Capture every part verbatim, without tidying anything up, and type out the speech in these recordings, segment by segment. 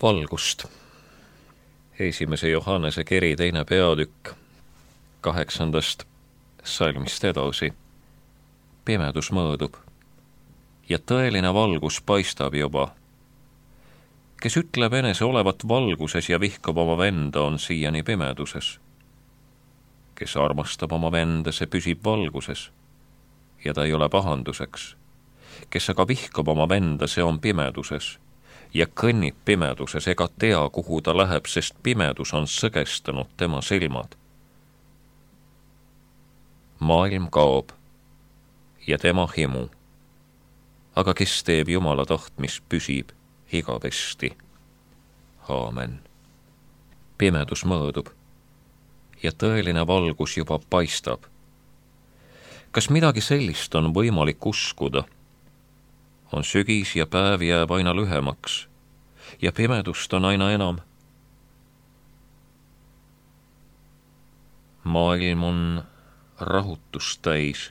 Valgust. Esimese Johannese kiri teine peatükk, kaheksandast salmist edasi. Pimedus mõõdub ja tõeline valgus paistab juba. Kes ütleb enese olevat valguses ja vihkab oma venda, on siiani pimeduses. Kes armastab oma venda, see püsib valguses ja ta ei ole pahanduseks. Kes aga vihkab oma venda, see on pimeduses ja kõnnib pimeduses ega tea, kuhu ta läheb, sest pimedus on sõgestanud tema silmad. Maailm kaob ja tema himu, aga kes teeb Jumala tahtmist, püsib igavesti. Aamen. Pimedus mõõdub ja tõeline valgus juba paistab. Kas midagi sellist on võimalik uskuda? On sügis ja päev jääb aina lühemaks ja pimedust on aina enam. Maailm on rahutust täis.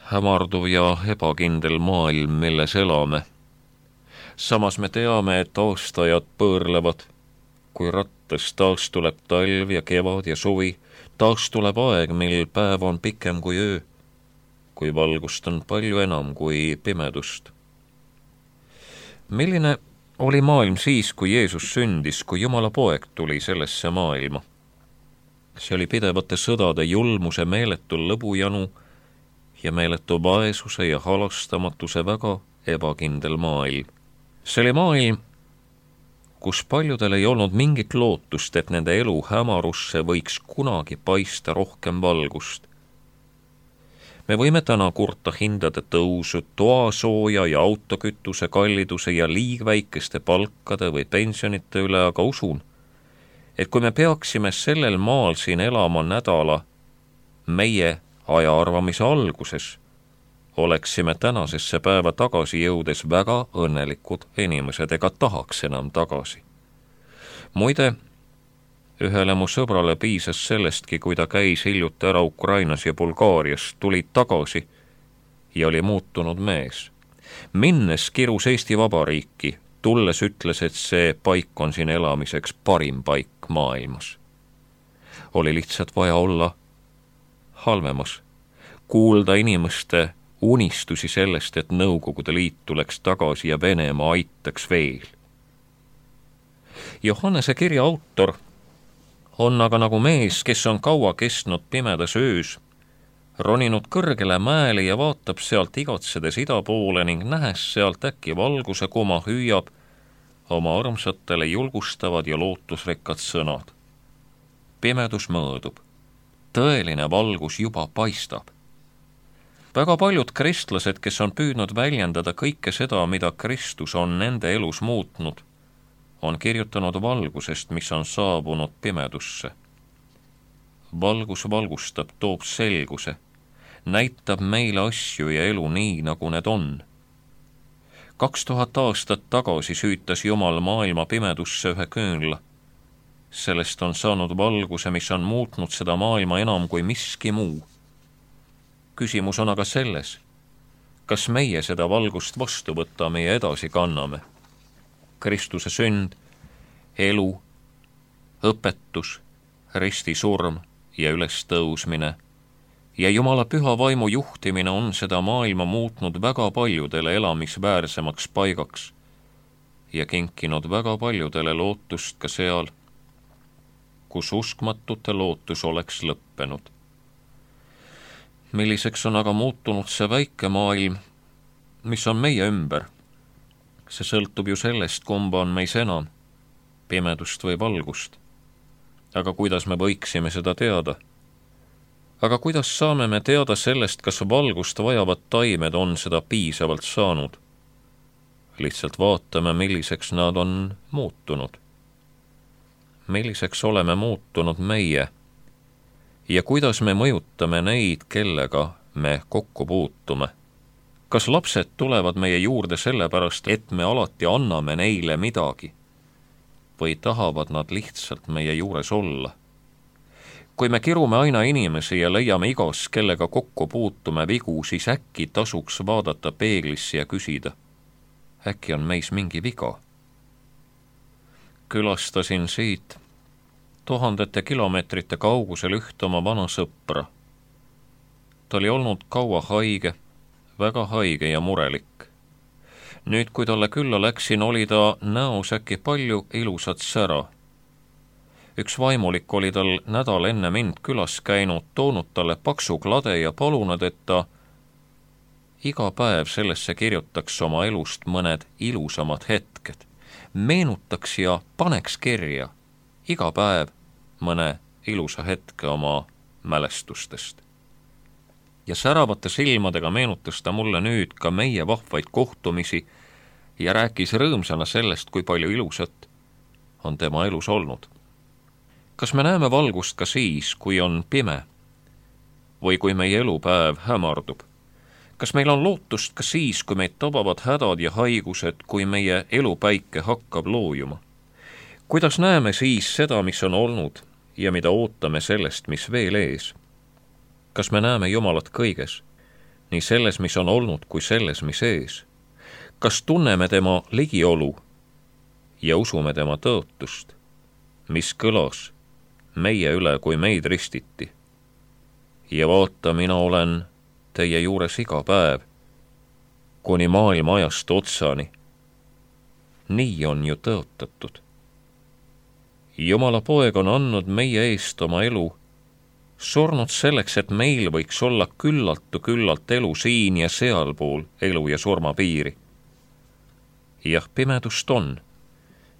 Hämarduv ja ebakindel maailm, milles elame. Samas me teame, et aastajad põõrlevad, kui rattas taas tuleb talv ja kevad ja suvi, taas tuleb aeg, mil päev on pikem kui öö, kui valgust on palju enam kui pimedust. Milline oli maailm siis, kui Jeesus sündis, kui Jumala poeg tuli sellesse maailma? See oli pidevate sõdade julmuse, meeletu lõbujanu ja meeletu vaesuse ja halastamatuse väga ebakindel maailm. See oli maailm, kus paljudel ei olnud mingit lootust, et nende elu hämarusse võiks kunagi paista rohkem valgust. Me võime täna kurta hindade tõusu, toasooja ja autokütuse kalliduse ja liigväikeste palkade või pensionite üle, aga usun, et kui me peaksime sellel maal siin elama nädala meie ajaarvamise alguses, oleksime tänasesse päeva tagasi jõudes väga õnnelikud inimesed ega tahaks enam tagasi. Muide, ühele mu sõbrale piisas sellestki, kui ta käis hiljuti ära Ukrainas ja Bulgaarias, tuli tagasi ja oli muutunud mees. Minnes kirus Eesti Vabariiki, tulles ütles, et see paik on siin elamiseks parim paik maailmas. Oli lihtsalt vaja olla halvemas, kuulda inimeste unistusi sellest, et Nõukogude Liit tuleks tagasi ja Venemaa aitaks veel. Johannese kirja autor on aga nagu mees, kes on kaua kestnud pimedas öös, roninud kõrgele mäele ja vaatab sealt igatsedes ida poole ning nähes sealt äkki valguse kuma hüüab oma armsatele julgustavad ja lootusrikkad sõnad. Pimedus mõõdub. Tõeline valgus juba paistab. Väga paljud kristlased, kes on püüdnud väljendada kõike seda, mida Kristus on nende elus muutnud, on kirjutanud valgusest, mis on saabunud pimedusse. Valgus valgustab, toob selguse, näitab meile asju ja elu nii, nagu need on. Kaks tuhat aastat tagasi süütas Jumal maailma pimedusse ühe küünla. Sellest on saanud valguse, mis on muutnud seda maailma enam kui miski muu. Küsimus on aga selles, kas meie seda valgust vastu võtame ja edasi kanname. Kristuse sünd, elu, õpetus, ristisurm ja ülestõusmine ja Jumala püha vaimu juhtimine on seda maailma muutnud väga paljudele elamisväärsemaks paigaks ja kinkinud väga paljudele lootust ka seal, kus uskmatute lootus oleks lõppenud. Milliseks on aga muutunud see väike maailm, mis on meie ümber? See sõltub ju sellest, kumba on meis enam, pimedust või valgust. Aga kuidas me võiksime seda teada? Aga kuidas saame me teada sellest, kas valgust vajavad taimed on seda piisavalt saanud? Lihtsalt vaatame, milliseks nad on muutunud. Milliseks oleme muutunud meie ja kuidas me mõjutame neid, kellega me kokku puutume. Kas lapsed tulevad meie juurde sellepärast, et me alati anname neile midagi? Või tahavad nad lihtsalt meie juures olla? Kui me kirume aina inimesi ja leiame igas, kellega kokku puutume vigu, siis äkki tasuks vaadata peeglisse ja küsida, äkki on meis mingi viga? Külastasin siit tuhandete kilomeetrite kaugusel ühte oma vana sõpra. Ta oli olnud kaua haige, väga haige ja murelik. Nüüd, kui talle külla läksin, oli ta näos äkki palju ilusat sära. Üks vaimulik oli tal nädal enne mind külas käinud, toonud talle paksu klade ja palunud, et ta iga päev sellesse kirjutaks oma elust mõned ilusamad hetked, meenutaks ja paneks kirja iga päev mõne ilusa hetke oma mälestustest. Ja säravate silmadega meenutas ta mulle nüüd ka meie vahvaid kohtumisi ja rääkis rõõmsana sellest, kui palju ilusat on tema elus olnud. Kas me näeme valgust ka siis, kui on pime või kui meie elupäev hämardub? Kas meil on lootust ka siis, kui meid tabavad hädad ja haigused, kui meie elupäike hakkab loojuma? Kuidas näeme siis seda, mis on olnud ja mida ootame sellest, mis veel ees? Kas me näeme Jumalat kõiges, nii selles, mis on olnud, kui selles, mis ees? Kas tunneme tema ligiolu ja usume tema tõotust, mis kõlas meie üle, kui meid ristiti? Ja vaata, mina olen teie juures iga päev, kuni maailma ajast otsani. Nii on ju tõotatud. Jumala poeg on andnud meie eest oma elu, surnud selleks, et meil võiks olla küllaltu küllalt elu siin ja sealpool elu ja surma piiri. Jah, pimedust on.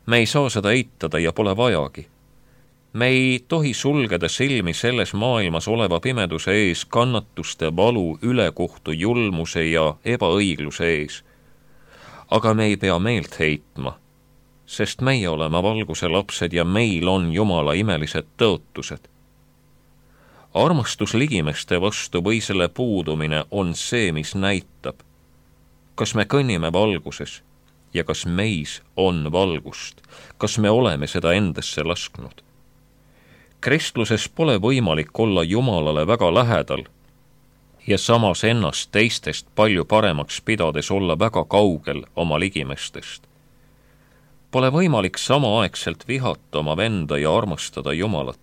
Me ei saa seda eitada ja pole vajagi. Me ei tohi sulgeda silmi selles maailmas oleva pimeduse ees, kannatuste, valu, ülekohtu, julmuse ja ebaõigluse ees. Aga me ei pea meelt heitma, sest meie oleme valguse lapsed ja meil on Jumala imelised tõotused. Armastus ligimeste vastu või selle puudumine on see, mis näitab, kas me kõnnime valguses ja kas meis on valgust, kas me oleme seda endasse lasknud. Kristluses pole võimalik olla Jumalale väga lähedal ja samas ennast teistest palju paremaks pidades olla väga kaugel oma ligimestest. Pole võimalik samaaegselt vihata oma venda ja armastada Jumalat.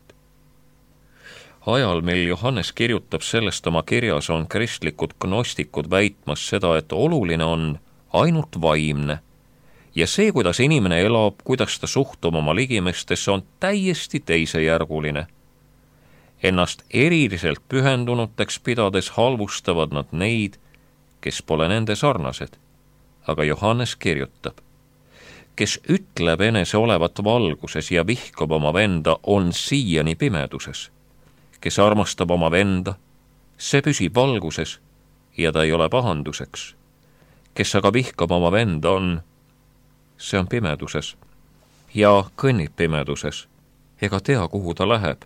Ajal, mil Johannes kirjutab sellest oma kirjas, on kristlikud gnostikud väitmas seda, et oluline on ainult vaimne ja see, kuidas inimene elab, kuidas ta suhtub oma ligimestesse, on täiesti teisejärguline. Ennast eriliselt pühendunuteks pidades halvustavad nad neid, kes pole nende sarnased. Aga Johannes kirjutab, kes ütleb enese olevat valguses ja vihkab oma venda, on siiani pimeduses. Kes armastab oma venda, see püsib valguses ja ta ei ole pahanduseks. Kes aga vihkab oma venda on, see on pimeduses ja kõnnib pimeduses ega tea, kuhu ta läheb,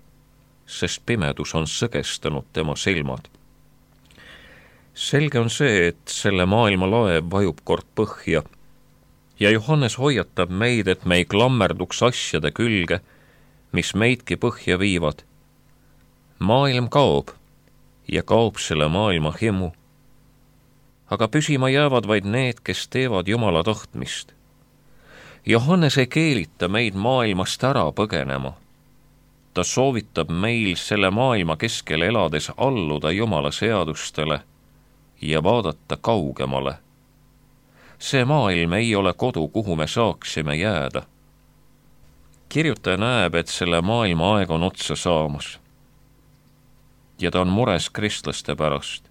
sest pimedus on sõgestanud tema silmad. Selge on see, et selle maailma laev vajub kord põhja ja Johannes hoiatab meid, et me ei klammerduks asjade külge, mis meidki põhja viivad. Maailm kaob ja kaob selle maailma himu, aga püsima jäävad vaid need, kes teevad Jumala tahtmist. Johannes ei keelita meid maailmast ära põgenema. Ta soovitab meil selle maailma keskel elades alluda Jumala seadustele ja vaadata kaugemale. See maailm ei ole kodu, kuhu me saaksime jääda. Kirjutaja näeb, et selle maailma aeg on otsa saamas. Ja ta on mures kristlaste pärast.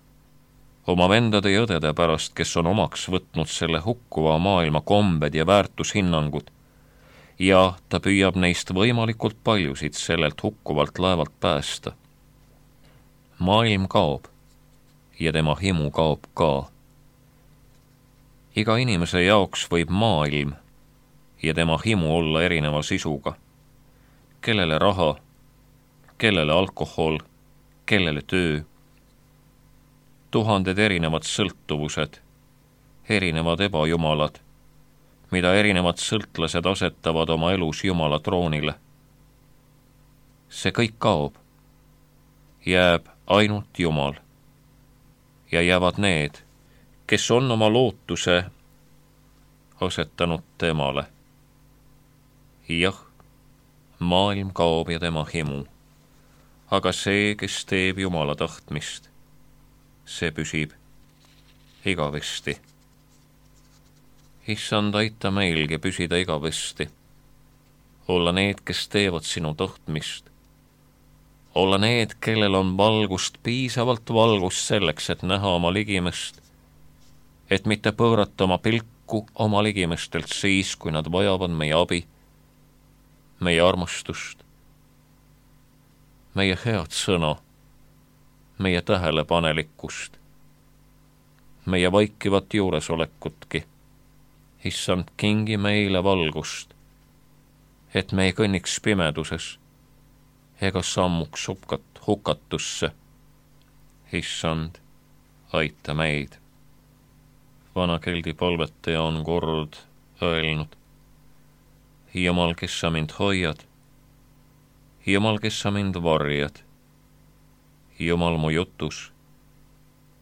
oma vendade ja õdede pärast, kes on omaks võtnud selle hukkuva maailma kombed ja väärtushinnangud, ja ta püüab neist võimalikult paljusid sellelt hukkuvalt laevalt päästa. Maailm kaob ja tema himu kaob ka. Iga inimese jaoks võib maailm ja tema himu olla erineva sisuga. Kellele raha, kellele alkohol, kellele töö. Tuhanded erinevad sõltuvused, erinevad ebajumalad, mida erinevad sõltlased asetavad oma elus Jumala troonile. See kõik kaob. Jääb ainult Jumal. Ja jäävad need, kes on oma lootuse asetanud temale. Jah, maailm kaob ja tema himu, aga see, kes teeb Jumala tahtmist, see püsib igavesti. Issand, aita meilgi püsida igavesti, olla need, kes teevad sinu tahtmist, olla need, kellel on valgust, piisavalt valgust selleks, et näha oma ligimest, et mitte pöörata oma pilku oma ligimestelt siis, kui nad vajavad meie abi, meie armastust, meie head sõna, meie tähelepanelikkust, meie vaikivat juuresolekutki. Issand, kingi meile valgust, et me ei kõnniks pimeduses ega sammuks hukkat, hukatusse. Issand, aita meid. Vana keldi palvetaja on kord öelnud: Jumal, kes sa mind hoiad, Jumal, kes sa mind varjad, Jumal mu jutus,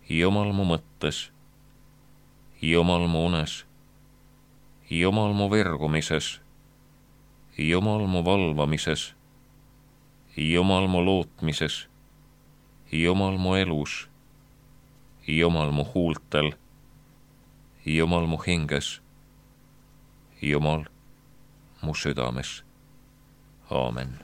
Jumal mu mõttes, Jumal mu unes, Jumal mu virgumises, Jumal mu valvamises, Jumal mu lootmises, Jumal mu elus, Jumal mu huultel, Jumal mu hinges, Jumal mu südames. Aamen.